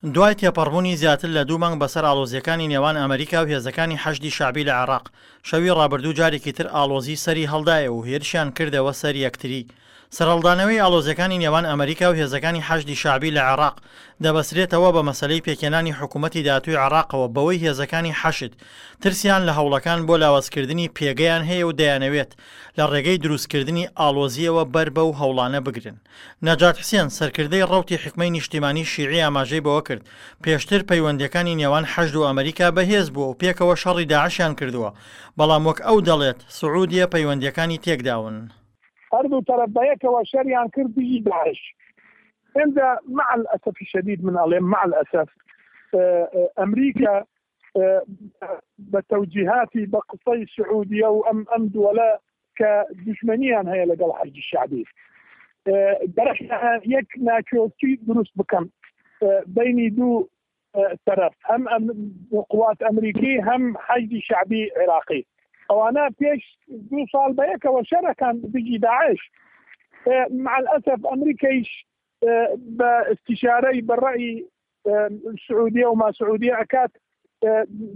دوای تێپەڕبوونی زیاتر لە دوو مانگ بەسەر ئاڵۆزییەکانی نێوان ئەمریکا و هێزەکانی حەشدی شەعبی لە عێراق، شەوی ڕابردوو جارێکی تر ئاڵۆزی سەری هەڵدایەوە و هێرشیان کردەوە سەر یەکتری. سەرهەڵدانەوەی ئاڵۆزییەکانی نێوان ئەمریکا و هێزەکانی حەشدی شەعبی لە عێراق دەبەسرێتەوە بە مەسەلەی پێکهێنانی حکوومەتی داهاتووی عێراقەوە بەوەی هێزەکانی حەشد ترسیان لە هەوڵەکان بۆ لاوازکردنی پێگەیان هەیە و دەیانەوێت لە ڕێگەی دروستکردنی ئاڵۆزییەوە بەر بەو هەوڵانە بگرن. نەجات حسێن، سەرکردەی ڕەوتی حیکمەی نیشتیمانی شیعی ئاماژەی بەوەکرد، پێشتر پەیوەندییەکانی نێوان حەشد و ئەمریکا بەهێز بووە و پێکەوە شەڕی داعشیان کردووە، بەڵام وەک ئەو دەڵێت، سعودیە پەیوەندییەکانی تێکداون. هەردوو تەرەف بەیەکەوە شەریان کرد دژی داعش. ئینجا مع الاسف الشدید من ئەڵێم مع الاسف ئەمریکا بە تەوجیهاتی بە قسەی سعودیە و ئەم ئەم دووەلە کە دژمنیان هەیە لەگەڵ حەشدی شەعبی گەرەکە یەک ناکۆکی دروست بکەم بینی دوو تەرەف هەم قوات ئەمریکی هەم حەشدی شەعبی عێراقی ئەوانە پێش دوو ساڵ بەیەکەوە شەرەکان دژی داعش مع الأسف ئەمریکەیش بە استشارەی بە ڕەئی سعودیە و ما سعودیە ئەکات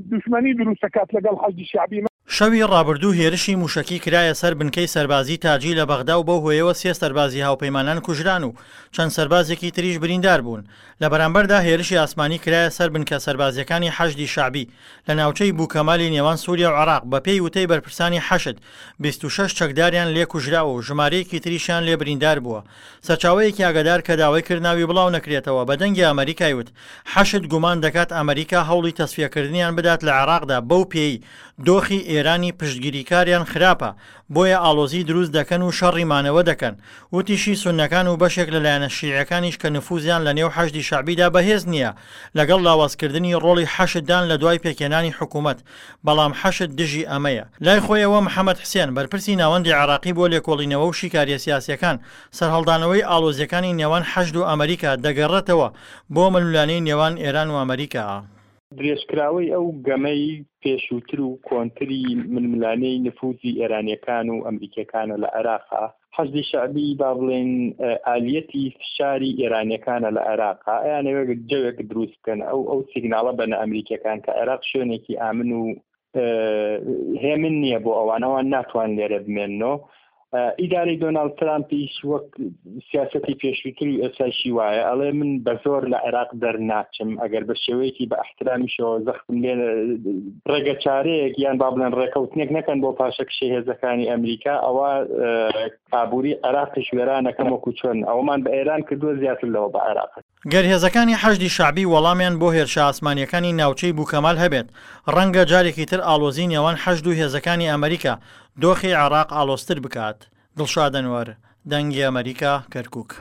دوشمنی دروست ئەکات لەگەڵ حەشدی شەعبی. شەوی ڕابردوو هێرشی مووشەکی کرایە سەر بنکەی سەربازی تاجی لە بەغدا و بەو هۆیەوە سێ سەربازی هاوپەیمانان کوژران و چەند سەربازێکی تریش بریندار بوون. لە بەرامبەردا هێرشی ئاسمانی کرایە سەر بنکە سەربازییەکانی حەشدی شەعبی لە ناوچەی بوکەمالی نێوان سووریا و عێراق، بەپێی وتەی بەرپرسانی حەشد 26 چەکداریان لێ کوژراوە و ژمارەیەکی تریشیان لێ بریندار بووە. سەرچاوەیەکی ئاگادار کە داوای کرد ناوی بڵاو نەکرێتەوە بە دەنگی ئەمەریکای وت، حەشد گومان دەکات ئەمەریکا هەوڵی تەسفیەکردنیان بدات لە عێراقدا بەو پێیەی دۆخی ئێرانی پشتگیریکاریان خراپە بۆیە ئاڵۆزی دروست دەکەن و شەڕی مانەوە دەکەن. وتیشی سوننەکان و بەشێک لە لایەنە شیعیەکانیش کە نفوزیان لە نێو حەشدی شەعبیدا بەهێز نییە لەگەڵ لاوازکردنی ڕۆڵی حەشددان لە دوای پێکهێنانی حکومەت بەڵام حەشد دژی ئەمەیە. لای خۆیەوە محەمەد حسێن، بەرپرسی ناوەندی عێراقی بۆ لێکۆڵینەوە و شیکارییە سیاسییەکان، سەرهەڵدانەوەی ئاڵۆزییەکانی نێوان حەشد و ئەمریکا دەگەڕێتەوە بۆ ململانێی نێوان ئێران و ئەمریکا. درێژکراوەی ئەو گەمەی پێشووتر و کۆنتری ململانێی نفوزی ئێرانییەکان و ئەمریکییەکانە لە عێراقا، حەشدی شەعبی با بڵێین ئالیەتی فشاری ئێرانیەکانە لە عێراقا، ئەیانەوێت جەوێک دروست بکەن، ئەو ئەو سیگناڵە بەنە ئەمریکیەکان کە عێراق شوێنێکی ئامن و هێمن نییە بۆ ئەوان، ئەوان ناتوان لێرە بمێننەوە. ئیدارەی دۆناڵد ترامپیش وەک سیاسەتی پێشووتر و ئێستایشی وایە، ئەڵێ من بە زۆر لە عێراق دەرناچم، ئەگەر بە شێوەیەکی بە ئەحترامیشەوە زەختم لێ ڕێگەچارەیەک یان با بڵێن ڕێکەوتنێک نەکەن بۆ پاشەکشەی هێزەکانی ئەمریکا، ئەوە ئابووری عێراقیش وێرانەکەم وەکو چۆن ئەوەمان بە ئێران کردووە زیاتر لەوە بە عێراق. گەر هێزەکانی حەشدی شەعبی وەڵامیان بۆ هێرشە ئاسمانییەکانی ناوچەی بوکەمال هەبێت، ڕەنگە جارێکی تر ئاڵۆزیی نێوان حەشد و هێزەکانی ئەمریکا دۆخی عێراق ئاڵۆزتر بکات. دڵشاد ئەنوەر، دەنگی ئەمەریکا، کەرکوک.